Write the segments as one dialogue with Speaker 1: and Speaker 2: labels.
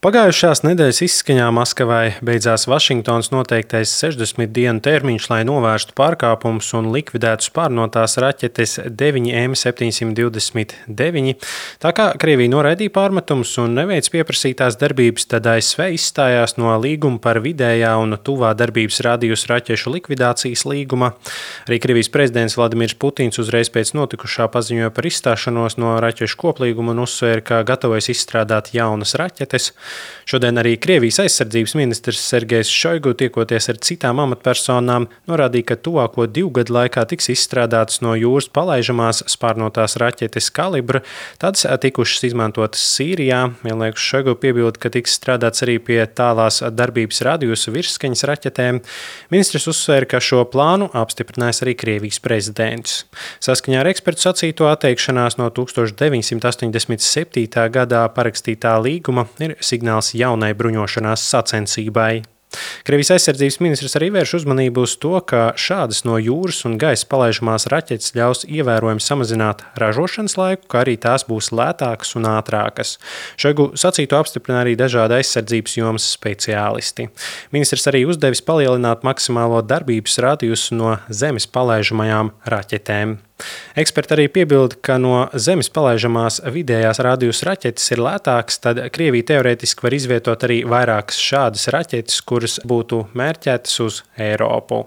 Speaker 1: Pagājušās nedēļas izskaņā Maskavai beidzās Vašingtonas noteiktais 60 dienu termiņš, lai novērstu pārkāpumus un likvidētu spārnotās raķetes 9M729. Tā kā Krievija noraidīja pārmetumus un neveic pieprasītās darbības, tad ASV izstājās no līguma par vidējā un tuvā darbības radiusa raķešu likvidācijas līguma. Arī Krievijas prezidents Vladimirs Putins uzreiz pēc notikušā paziņoja par izstāšanos no raķešu koplīguma un uzsvēra, ka gatavojas izstrādāt jaunas raķetes. Šodien arī Krievijas aizsardzības ministrs Sergejs Šoigu, tiekoties ar citām amatpersonām, norādīja, ka tuvāko 2 gadu laikā tiks izstrādātas no jūras palaižamās spārnotās raķetes kalibra, tādas tikušas izmantotas Sīrijā. Vienlaikus Šoigu piebilda, ka tiks strādāts arī pie tālās darbības radiusa virsskaņas raķetēm. Ministrs uzsvēra, ka šo plānu apstiprinājis arī Krievijas prezidents. Saskaņā ar ekspertu sacīto atteikšanās no 1987. gadā parakstītā līguma ir signāls jaunai bruņošanās sacensībai. Krievijas aizsardzības ministrs arī vērš uzmanību uz to, ka šādas no jūras un gaisa palaižamās raķetes ļaus ievērojami samazināt ražošanas laiku, kā arī tās būs lētākas un ātrākas. Šoigu sacīto apstiprina arī dažādi aizsardzības jomas speciālisti. Ministrs arī uzdevis palielināt maksimālo darbības radiusu no zemes palaižamajām raķetēm. Eksperti arī piebilda, ka no zemes palaižamās vidējās radiusa raķetes ir lētākas, tad Krievija teorētiski var izvietot arī vairākas šādas raķetes, kuras būtu mērķētas uz Eiropu.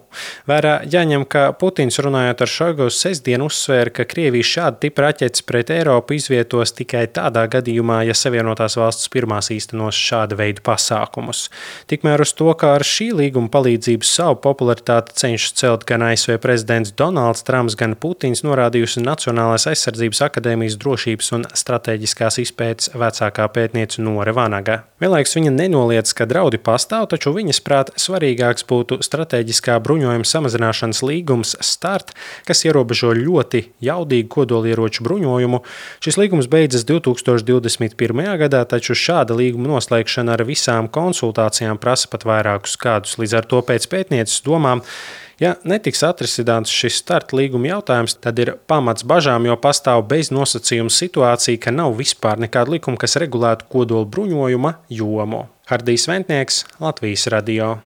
Speaker 1: Vērā jāņem, ka Putins runājot ar Šoigu sestdienu uzsvēra, ka Krievija šādu tipu raķetes pret Eiropu izvietos tikai tādā gadījumā, ja Savienotās valstis pirmās īstenos šāda veida pasākumus. Tikmēr uz to, kā ar šī līguma palīdzību savu popularitāti cenšas celt gan ASV prezidents Donalds Trumps, gan Putins, norādījusi Nacionālās aizsardzības akadēmijas drošības un stratēģiskās izpētes vecākā pētniece Nore Vanaga. Vienlaikus viņa nenoliedz, ka draudi pastāv, taču viņas prāt svarīgāks būtu stratēģiskā bruņojuma samazināšanas līgums START, kas ierobežo ļoti jaudīgu kodolieroču bruņojumu. Šis līgums beidzas 2021. gadā, taču šāda līguma noslēgšana ar visām konsultācijām prasa pat vairākus gadus. Līdz ar to pēc pētnieces domām, ja netiks atrisināts šis START līguma jautājums, tad ir pamats bažām, jo pastāv bez nosacījuma situācija, ka nav vispār nekāda likuma, kas regulētu kodola bruņojuma jomu. Hardijs Ventnieks, Latvijas radio.